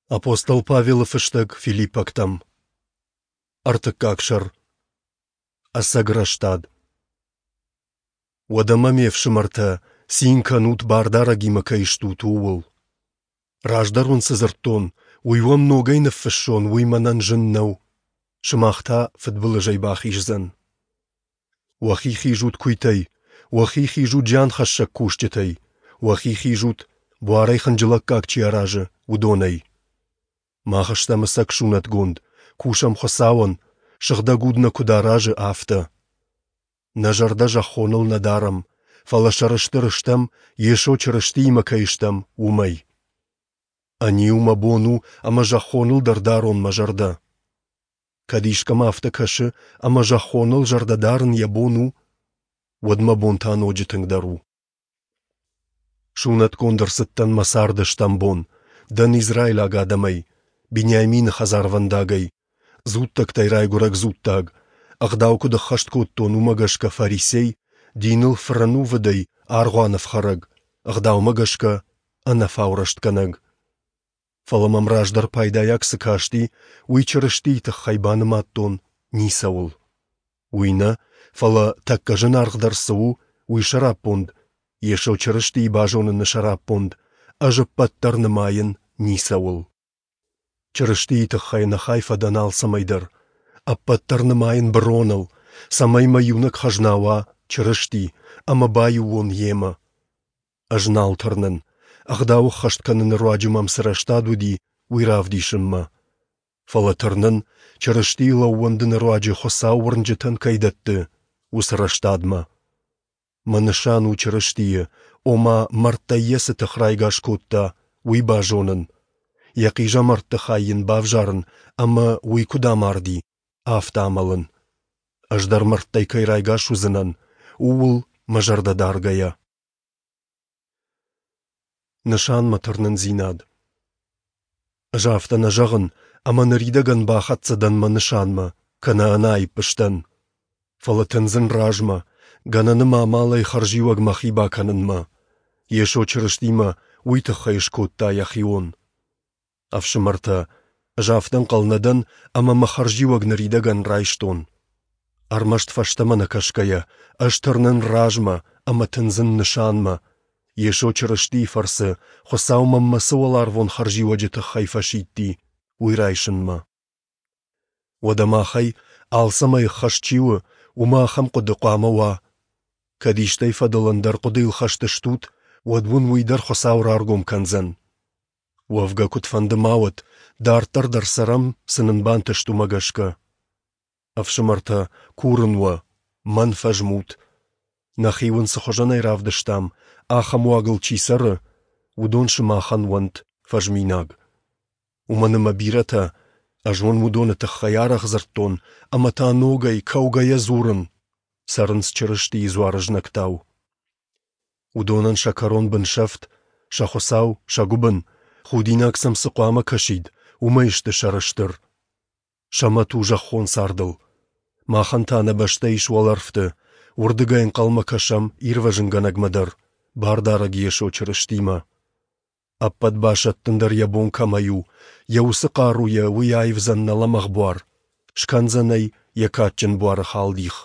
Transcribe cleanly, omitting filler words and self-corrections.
Апостол Павелы фыстӕг Филиппӕгтӕм. Ӕртыккаг сӕр. Ӕцӕг рӕстад. Уӕдӕ мӕ ме фсымӕртӕ, цин кӕнут, Бардарӕгимӕ кӕй стут, ууыл. Раздӕр уын цы дзырдтон, уый уӕм ногӕй ныффыссон, уый мӕнӕн зын нӕу, сымах та фыдбылызӕй бахиздзӕн. Уӕхи хизут куыйтӕй, уӕхи хизут зианхӕссӕг кусджытӕй, уӕхи хизут, буарӕй хынджылӕггаг чи аразы, уыдонӕй. Мах стӕм ӕцӕг сунӕтгонд, кусӕм Хуыцауӕн, Сыгъдӕг Уд нӕ куыд аразы, афтӕ. Нӕ зӕрдӕ зӕххоныл нӕ дарӕм, фӕлӕ сӕрыстыр стӕм, Йесо Чырыстиимӕ кӕй стӕм, уымӕй. Ӕниу мӕ бон у, ӕмӕ зӕххоныл дӕр дарон мӕ зӕрдӕ. Кӕд искӕмӕ афтӕ кӕсы, ӕмӕ зӕххоныл зӕрдӕ дарын йӕ бон у, уӕд мӕ бон та ноджы тынгдӕр у. Сунӕтгонд ӕрцыдтӕн мӕ царды стӕм бон, дӕн израилаг адӕмӕй, Бениамины хӕдзарвӕндагӕй, дзуттӕгтӕй райгуырӕг дзуттаг, ӕгъдау куыд ӕххӕст кодтон, уымӕ гӕсгӕ фарисей, диныл фырӕнувыдӕй аргъуаны ӕфхӕрӕг, ӕгъдаумӕ гӕсгӕ ӕнӕфау рӕстгӕнӕг. Фӕлӕ мӕм раздӕр пайдайаг цы касти, уый Чырыстийы тыххӕй банымадтон ницӕуыл. Уый нӕ, фӕлӕ тӕккӕ зынаргъдӕр цы у, уый сӕраппонд, Йесо Чырыстийы базоныны сӕраппонд, ӕз ӕппӕт дӕр нымайын ницӕуыл. Чырыстийы тыххӕй ӕнӕхай фӕдӕн алцӕмӕй дӕр, ӕппӕт дӕр нымайын быроныл, цӕмӕй мӕ иунӕг хӕзна уа Чырысти ӕмӕ баиу уон Йемӕ. Ӕз нал тырнын, ӕгъдау ӕххӕст кӕныны руаджы мӕм цы рӕстад уыди, уый равдисынмӕ. Фӕлӕ тырнын, Чырыстийыл ӕууӕндыны руаджы Хуыцау уырнджытӕн кӕй дӕтты, уыцы рӕстадмӕ. Мӕ нысан у Чырыстийы, ома мӕрдтӕй йӕ цы тых райгас кодта, уый базонын, йӕ хъизӕмӕртты хай йын бавзарын ӕмӕ уый куыд амарди, афтӕ амӕлын. Ӕз дӕр мӕрдтӕй кӕй райгас уыдзынӕн, ууыл мӕ зӕрдӕ даргӕйӕ. Нысанмӕ тырнындзинад. Ӕз афтӕ нӕ зӕгъын, ӕмӕ ныридӕгӕн бахӕццӕ дӕн мӕ нысанмӕ, кӕнӕ ӕнаипп сдӕн. Фӕлӕ тындзын размӕ, гӕнӕны мӕ амалӕй хӕрзиуӕг мӕхи бакӕнынмӕ. Йесо Чырысти мӕ уый тыххӕй скодта йӕхион. Ӕфсымӕртӕ, ӕз афтӕ ӕнхъӕл нӕ дӕн, ӕмӕ мӕ хӕрзиуӕг ныридӕгӕн райстон. Ӕрмӕст фӕстӕмӕ нӕ кӕсгӕйӕ, ӕз тырнын размӕ ӕмӕ тындзын нысанмӕ, Йесо Чырыстийы фӕрцы Хуыцау мӕнмӕ цы уӕларвон хӕрзиуӕджы тыххӕй фӕсидти, уый райсынмӕ. Уӕдӕ махӕй алцӕмӕй ӕххӕст чи у, уымӕ ахӕм хъуыды хъуамӕ уа. Кӕд истӕй фӕдыл ӕндӕр хъуыдыйыл хӕст стут, уӕд уын уый дӕр Хуыцау раргом кӕндзӕн. Уӕвгӕ куыдфӕнды ма уӕд, дарддӕр дӕр цӕрӕм, цы нын бантыст, уымӕ гӕсгӕ. Ӕфсымӕртӕ, курын уӕ, мӕн фӕзмут. Нӕхи уын цы хуызӕнӕй равдыстам, ахӕм уагыл чи цӕры, уыдон сымахӕн уӕнт фӕзминаг. Уымӕн ӕмӕ бирӕтӕ, ӕз уын уыдоны тыххӕй арӕх дзырдтон ӕмӕ та ногӕй кӕугӕйӕ дзурын, цӕрынц Чырыстийы дзуары знӕгтау. Уыдонӕн сӕ кӕрон бынсӕфт, сӕ Хуыцау, сӕ гуыбын, худинаг сӕм цы хъуамӕ кӕсид, уымӕй сты сӕрыстыр. Сӕ мӕт у зӕххон цардыл. Махӕн та нӕ бӕстӕ ис уӕлӕрвты, уырдыгӕй ӕнхъӕлмӕ кӕсӕм Ирвӕзынгӕнӕгмӕ дӕр, Бардарӕг Йесо Чырыстимӕ. Ӕппӕт басӕттын дӕр йӕ бон кӕмӕй у, йӕ уыцы хъаруйӕ уый аивдзӕн нӕ лӕмӕгъ буар, скӕндзӕн ӕй йӕ кадджын буары халдих.